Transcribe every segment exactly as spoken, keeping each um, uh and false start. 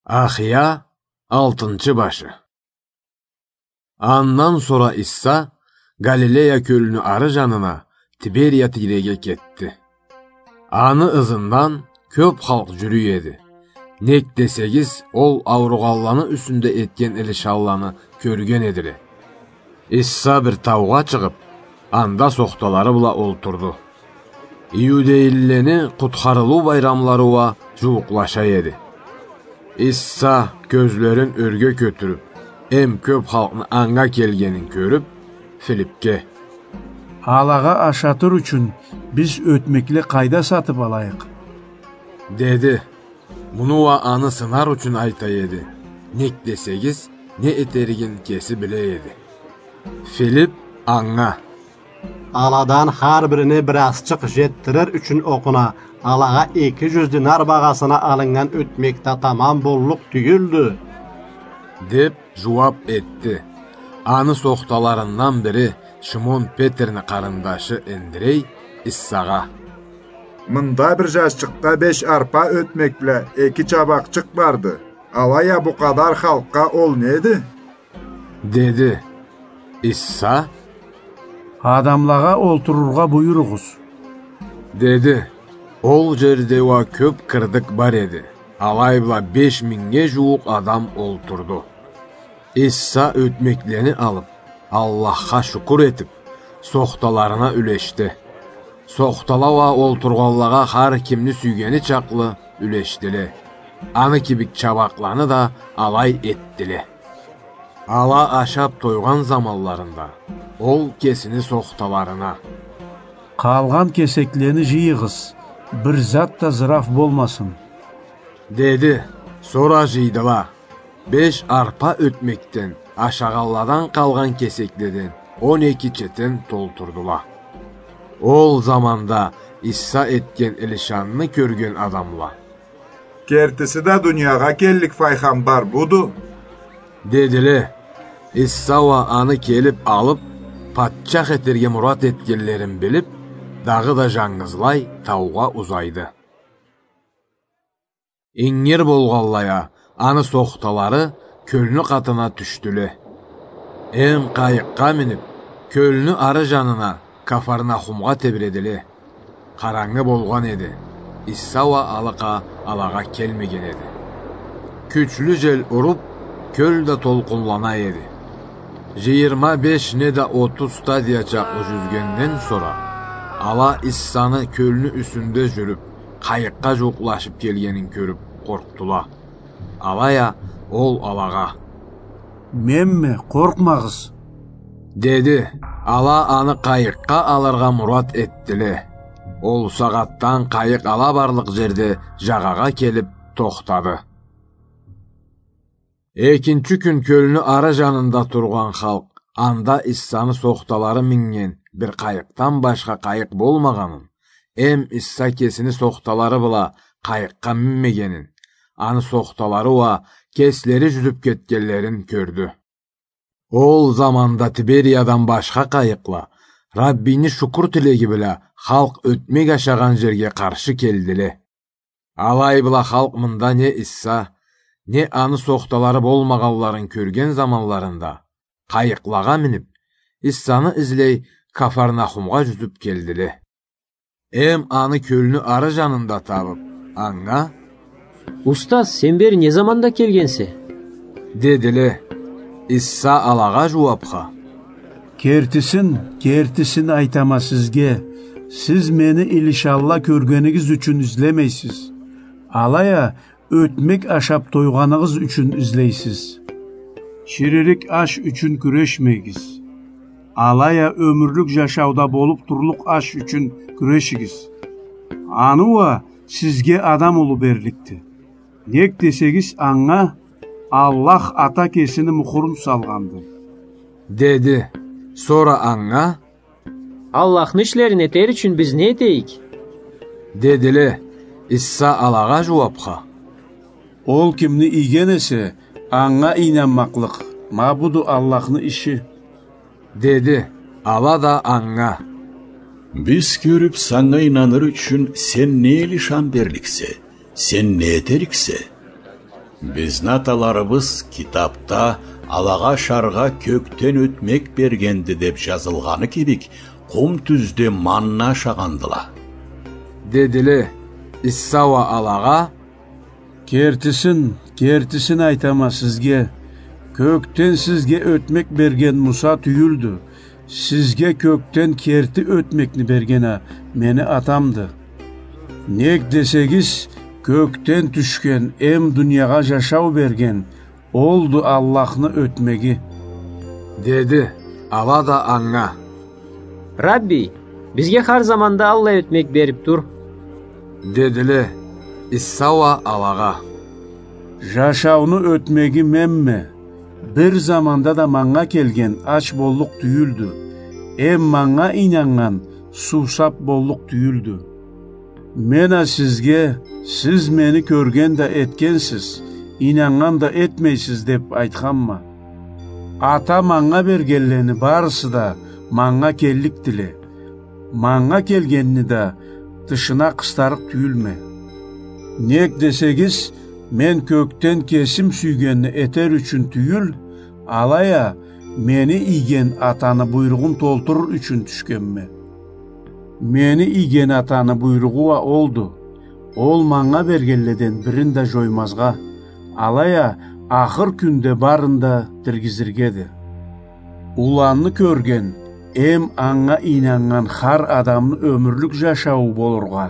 Ахия, алтынчы башы. Андан сора Иса Галилея кёлню ары жанына, Тиберия тийреге кетди. Аны ызындан кёп халкъ жюрюй эди. Нек десегиз, ол ауругъанланы юсюнде этген илишанланы кёрген эдиле. Иса бир таугъа чыгъып, анда сохталары бла олтурду. Иудейлилени къутхарылыу байрамлары уа жууукълаша эди. Иса, кёзлерин ёрге кётюрюп, эм кёп халкъны анга келгенин кёрюп, Филипге: «Алагъа ашатыр ючюн биз ётмекле къайда сатып алайыкъ?» — деди. Муну уа аны сынар ючюн айта эди. Нек десегиз, не этеригин кеси биле эди. Филип анга: «Аладан хар бирине бир азчыкъ жетдирир ючюн окъуна, алагъа эки жюз динар багъасына алыннган ётмек да тамам боллукъ тюйюлдю», — деп жууап этди. Аны сохталарындан бири, Шимон Петрни къарындашы Эндрей, Иссагъа: «Мында бир жазчыкъда беш арпа ётмек бла эки чабакъчыкъ барды. Алай а бу къадар халкъгъа ол неди?» — деди. Исса: «Адамлагъа олтурургъа буюругъуз», — деди. Ол жерде уа кёп кырдык бар эди. Алай бла беш мингнге жууукъ адам олтурду. Исса ётмеклени алып, Аллахха шукур этип, сохталарына юлешди. Сохтала уа олтургъанлагъа хар кимни сюйгени чакълы юлешдиле. Аны кибик чабакъланы да алай этдиле. Ала ашап тойгъан заманларында ол кесини сохталарына: «Къалгъан кесеклени жыйыгъыз, бир зат да зыраф болмасын», — деди. Сора жыйдыла. Беш арпа ётмекден, ашагъанладан къалгъан кесекледен он эки четен толтурдула. Ол заманда Исса этген илишанны кёрген адамла: «Кертиси да дуниягъа келлик файгъамбар буду», — дедиле. Исса уа аны келип алып, патчах этерге мурат этгенлерин билип, дагъыда жангызлай таугъа узайды. Ингир болгъанлай а, аны сохталары кёлню къатына тюшдюле. Эм къайыкъгъа минип, кёлню ары жанына, Кафарнахумгъа тебиредиле. Къарангы болгъан эди. Исса уа алыкъа алагъа келмеген эди. Кючлю жел уруп, кёл да толкъунлана эди. Жыйырма беш неда отуз стадия чакълы жюзгенден сора, ала Иссаны кёлню юсюнде жюрюп, къайыкъгъа жууукълашып келгенин кёрюп, къоркъдула. Алай а ол алагъа: «Менме, къоркъмагъыз», — деди. Ала аны къайыкъгъа алыргъа мурат этдиле. Ол сагъатдан къайыкъ ала барлыкъ жерде жагъагъа келип тохтады. Экинчи кюн кёлню ары жанында тургъан халкъ анда Иссаны сохталары миннген бир къайыкъдан башха къайыкъ болмагъанын, эм Исса кесини сохталары бла къайыкъгъа минмегенин, аны сохталары уа кеслери жюзюп кетгенлерин кёрдю. Ол заманда Тибериядан башха къайыкъла, Раббини шукур тилеги бла, халкъ ётмек ашагъан жерге къаршы келдиле. Алай бла халкъ мында не Исса, не аны сохталары болмагъанларын кёрген заманларында, къайыкълагъа минип, Иссаны излей Кафарнахумгъа жюзюп келдиле. Эм аны кёлню ары жанында табып, анга: «Устаз, сен бери не заманда келгенсе?» — дедиле. Исса алагъа жууапха: «Кертисин, кертисин айтама сизге, сиз мени илишанла кёргенигиз ючюн излемейсиз. Алай а ётмек ашап тойгъаныгъыз ючюн излейсиз. Чиририк аш ючюн кюрешмегиз. Алай а ёмюрлюк жашауда болуп турлукъ аш ючюн кюрешигиз. Аны уа сизге Адам улу берликди. Нек десегиз, анга Аллах Ата кесини мухурун салгъанды», — деди. Сора анга: «Аллахны ишлерин этер ючюн биз не этейик?» — дедиле. Исса алагъа жууапха: «Ол кимни ийген эсе, анга ийнанмакълыкъ, ма буду Аллахны иши», — деди. Ала да анга: «Биз кёрюп, санга ийнаныр ючюн сен не илишан берликсе, сен не этериксе?» Бизни аталарыбыз китапда алагъа ашаргъа кёкден ётмек бергенди деп жазылгъаны кибик, къум тюзде манна ашагъандыла. Дедиле. Иса уа алагъа: Кертисин, кертисин айтама сизге, кёкден сизге ётмек берген Муса тюйюлдю. Сизге кёкден керти ётмекни берген а мени Атамды. Нек десегиз, кёкден тюшген эм дуниягъа жашау берген олду Аллахны ётмеги. Деди. Ала да анга: Рабби, бизге хар заманда аллай ётмек берип тур. Дедиле. Иса уа алагъа: Жашауну ётмеги менме. Бир заманда да манга келген ач боллукъ тюйюлдю. Эм манга ийнаннган суусап боллукъ тюйюлдю. Мен а сизге, сиз мени кёрген да этгенсиз, ийнаннган да этмейсиз деп айтханма. Ата манга бергенлени барысы да манга келликдиле. Манга келгенни да тышына къыстарыкъ тюйюлме. Нек десегиз, мен кёкден кесим сюйгенни этер ючюн тюйюл, алай а мени ийген Атаны буйругъун толтурур ючюн тюшгенме. Мени ийген Атаны буйругъу уа олду. Ол манга бергенледен бирин да жоймазгъа, алай а ахыр кюнде барын да тиргизиргеди. Уланны кёрген эм анга ийнаннган хар адамны ёмюрлюк жашауу болургъа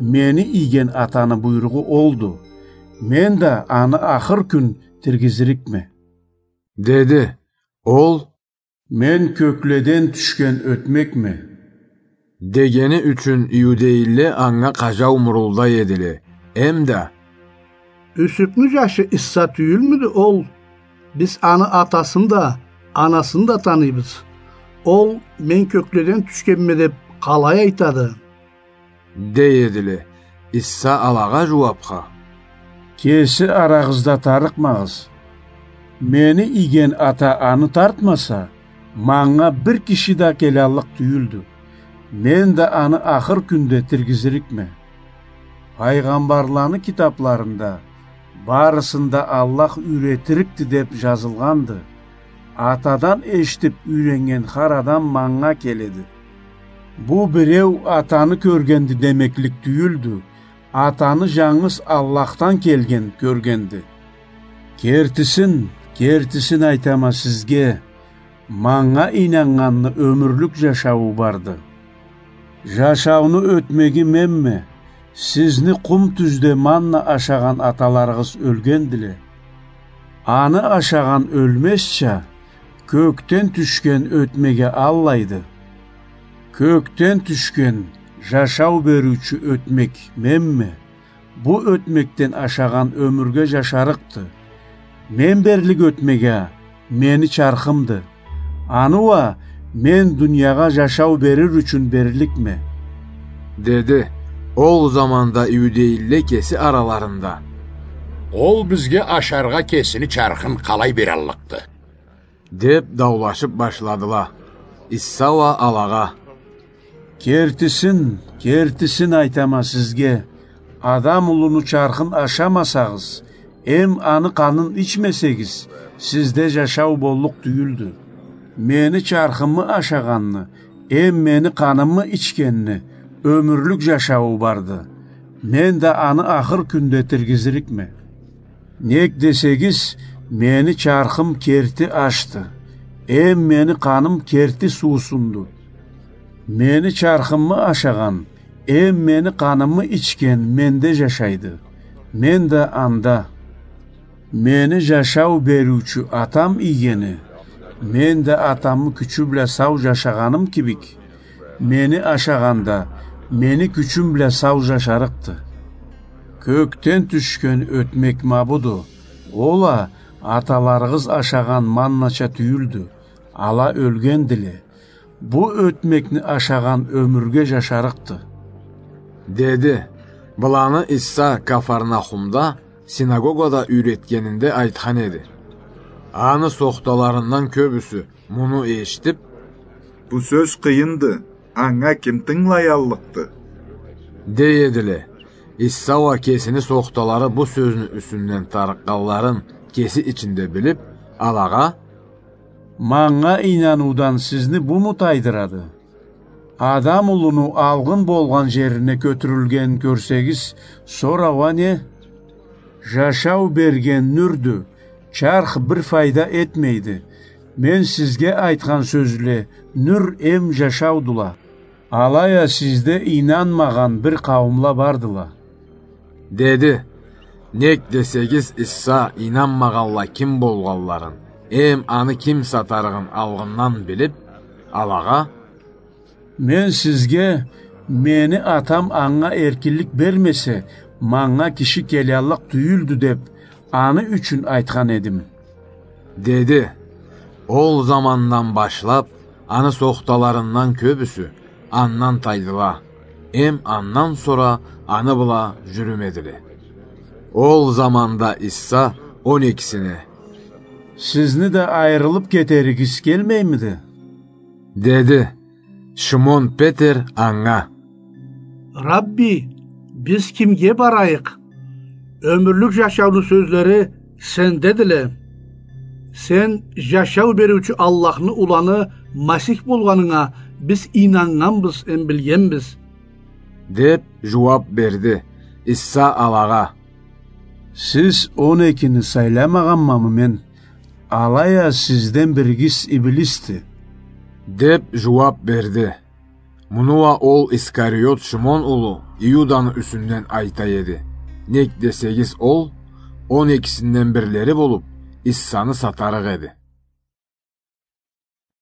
мени ийген Атаны буйругъу олду. Мен да аны ахыр кюн тиргизирикме. Деди. Ол: Мен кёкледен тюшген ётмекме. Дегени ючюн иудейле анга къажау мурулдай эдиле. Эм да: Юсюпню жашы Иса тюйюлмюдю ол? Биз аны атасын да, анасын да таныйбыз. Ол: Мен кёкледен тюшгенме деп къалай айтады? Дей эдиле. Иса алагъа жууапха: Кеси арагъызда тарыкъмагъыз. Мени ийген Ата аны тартмаса, манга бир киши да келаллыкъ тюйюлдю. Мен да аны ахыр кюнде тиргизирикме. Пайгъамбарланы китапларында барысын да Аллах юйретирикди деп жазылгъанды. Атадан эшитип юйреннген хар адам манга келеди. Бу биреу Атаны кёргенди демеклик тюйюлдю. Атаны жангыз Аллахдан келген кёргенди. Кертисин, кертисин айтама сизге, манга ийнаннганны ёмюрлюк жашауу барды. Жашауну ётмеги менме. Сизни къум тюзде манна ашагъан аталарыгъыз ёлгендиле. Аны ашагъан ёлмезча, кёкден тюшген ётмеге аллайды. Кёкден тюшген, жашау бериучю ётмек менме. Бу ётмекден ашагъан ёмюрге жашарыкъды. Мен берлик ётмек а мени чархымды. Аны уа мен дуниягъа жашау берир ючюн берликме. Деди. Ол заманда иудейле кеси араларында: Ол бизге ашаргъа кесини чархын къалай бераллыкъды? Деп даулашып башладыла. Иса уа алагъа: Кертисин, кертисин айтама сизге, Адам улуну чархын ашамасагъыз, эм аны къанын ичмесегиз, сизде жашау боллукъ тюйюлдю. Мени чархымы ашагъанны, эм мени къанымы ичгенни ёмюрлюк жашауу барды. Мен да аны ахыр кюнде тиргизирикме. Нек десегиз, мени чархым керти ашды, эм мени къаным керти суусунду. Мени чархымы ашагъан, эм мени къанымы ичген менде жашайды, мен да анда. Мени жашау бериучю Атам ийгени, мен да Атамы кючю бла сау жашагъаным кибик, мени ашагъан да мени кючюм бла сау жашарыкъды. Кёкден тюшген ётмек ма буду. Ол а аталарыгъыз ашагъан маннача тюйюлдю. Ала ёлгендиле. Бу ётмекни ашагъан ёмюрге жашарыкъды. Деди. Быланы Иса Кафарнахумда синагогада юйретгенинде айтхан эди. Аны сохталарындан кёбюсю муну эшитип: «Бу сёз къыйынды, анга ким тынгылаяллыкъды?» — дей эдиле. Иса уа кесини сохталары бу сёзню юсюнден тарыкъгъанларын кеси ичинде билип, алагъа: «Манга ийнануудан сизни буму тайдырады? Адам улуну алгъын болгъан жерине кётюрюлгенин кёрсегиз, сора уа не? Жашау берген нюрдю, чарх бир файда этмейди. Мен сизге айтхан сёзле нюр эм жашаудула. Алай а сизде ийнанмагъан бир къауумла бардыла», — деди. Нек десегиз, Иса ийнанмагъанла ким болгъанларын эм аны ким сатарыгъын алгъындан билип, алагъа: «Мен сизге, мени Атам анга эркинлик бермесе, манга киши келяллыкъ тюйюлдю деп, аны ючюн айтхан эдим», — деди. Ол замандан башлап аны сохталарындан кёбюсю андан тайдыла, эм андан сора аны бла жюрюмедиле. Ол заманда Иса он экисине: «Сизни да айырылып кетеригиз келмеймиди?» — деди. Шимон Петер анга: «Рабби, биз кимге барайыкъ? Ёмюрлюк жашауну сёзлери сендедиле. Сен жашау бериучю Аллахны уланы Масих болгъанынга биз ийнаннганбыз эм билгенбиз», — деп жууап берди. Иса алагъа: «Сиз он экини сайламагъанмамы мен? Алай а сизден биригиз иблисди», — деп жууап берди. Муну уа ол Искариот Шимон улу Иуданы юсюнден айта эди. Нек десегиз, ол он экисинден бирлери болуп, Исаны сатарыкъ эди.